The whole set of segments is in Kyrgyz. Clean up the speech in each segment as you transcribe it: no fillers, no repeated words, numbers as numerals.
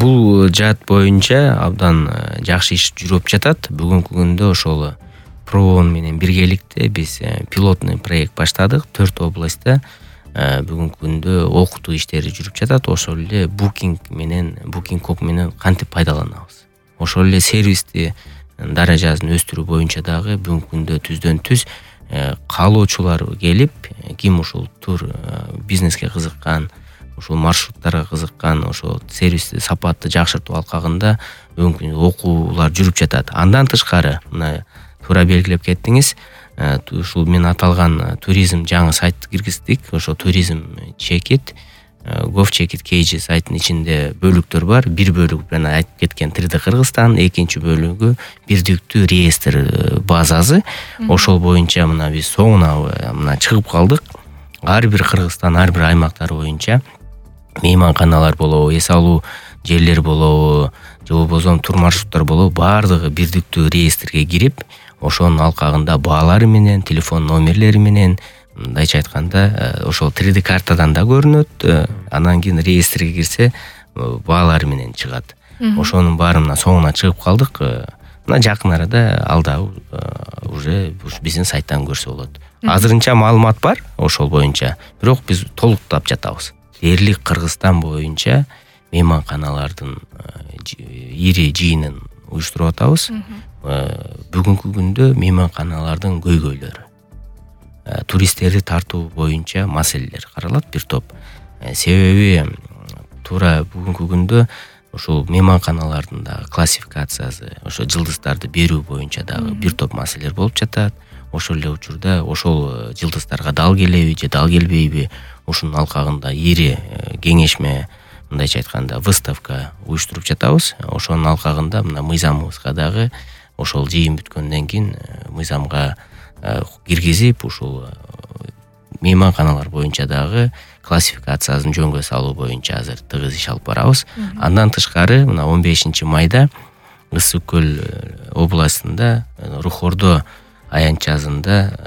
Бул жаат боюнча абдан жакшы иш жүрүп жатат. Бүгүнкү күндө ошол Проон менен биргеликте биз пилотный проект баштадык 4 областта. Бүгүнкү күндө окутуу иштери жүрүп жатат. Ошол эле Booking.com менен кантип пайдаланабыз. Ошол эле сервисти даражасын өстүрүү боюнча дагы бүгүнкү күндө түздөн-түз каалоочулар келип, ким ушул тур бизнеске кызыккан, ушул маршруттарга кызыккан, ошол сервисти сапатты жакшыртуу алкагында бүгүнкү күндө окуулар жүрүп жатат. Андан тышкары мына туура белгилеп кеттиңиз. Ушул мен аталган туризм жаңы сайт киргиздик. Ошо туризм чекит, GovCheckit сайттын ичинде бөлүктөр бар. Бир бөлүгү мен айтып кеткен 3D Кыргызстан, экинчи бөлүгү бирдиктүү реестр базасы. Ошол боюнча мына биз соңуна мына чыгып калдык. Ар бир Кыргызстан, ар бир аймактар боюнча мейманканалар болобу, эс алуу жерлер болобу, же болбосо тур маршруттар болобу, баардыгы бирдиктүү реестрге кирип, ошонун алкагында баалары менен, телефон номерлери менен, мындайча айтканда, ошол 3D картадан да көрүнөт. Анан кийин реестрге кирсе, баалары менен чыгат. Ошонун баарына соңуна чыгып калдык. Мына жакын арада алда уже биздин сайттан көрсө болот. Азырынча маалымат бар ошол боюнча, бирок биз толуктап жатабыз. Дээрлик Кыргызстан боюнча мейманканалардын ири жыйынын уюштуруп атабыз. Бүгүнкү күндө мейманканалардын көйгөйлөрү, туристтерди тартуу боюнча маселелер каралат бир топ. Себеби туура бүгүнкү күндө ошол мейманканалардын дагы классификациясы, ошо жылдыздарды берүү боюнча дагы бир топ маселелер болуп жатат. Ошол эле учурда ошол жылдыздарга дал келеби же дал келбейби, ушунун алкагында ири кеңешме, мындайча айтканда выставка уюштуруп жатабыз. Ошонун алкагында мына мыйзамыбызга дагы ошол жыйын бүткөндөн кийин мыйзамга киргизип, ушул мейманканалар боюнча дагы классификациясын жөнгө салуу боюнча азыр тыгыз иш алып барабыз. Андан тышкары мына 15 майда Ысык көл областында Рухордо аянтчасында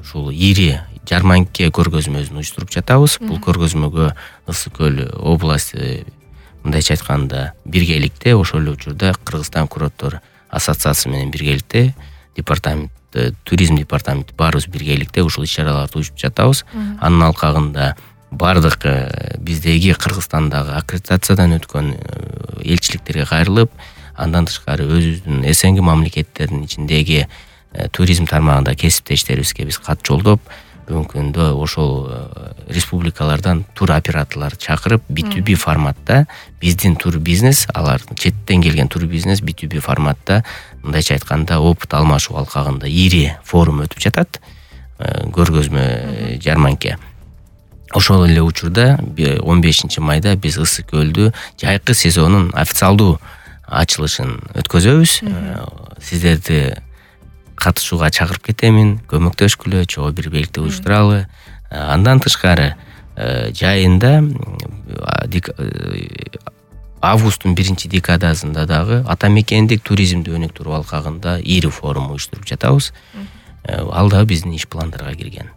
ушул ири жарманке көргөзмөсүн уюштуруп жатабыз. Бул көргөзмөгө Ысык көл областы, мындайча айтканда, биргеликте, ошол эле учурда Кыргызстан курорттор ассоциациясы менен биргеликте, туризм департаменти баарыбыз биргеликте ушул иш-чараларды уюштуруп жатабыз. Анын алкагында бардык биздеги Кыргызстандагы аккредитациядан өткөн элчиликтерге кайрылып, андан тышкары өзүбүздүн СНГ мамлекеттеринин ичиндеги туризм тармагында кесиптештерибизге биз кат жолдоп, бүгүнкү күндө ошол республикалардан тур операторлорду чакырып, B2B форматта биздин тур бизнес, алар четтен келген тур бизнес B2B форматта, мындайча айтканда, опыт алмашуу алкагында ири форум өтүп жатат, көргөзмө жарманке. Ошол эле учурда 15 майда биз Ысык көлдү жайкы сезонун официалдуу ачылышын өткөзөбүз. Сиздерди катышууга чакырып кетемин, көмөктөшкүлө, чогуу бир белгте уюштуралы. Андан тышкары жайында августтун 1-декадасында дагы ата мекендик туризмди өнүктүрүү алкагында ири форум уюштуруп жатабыз. Ал да биздин иш пландарга кирген.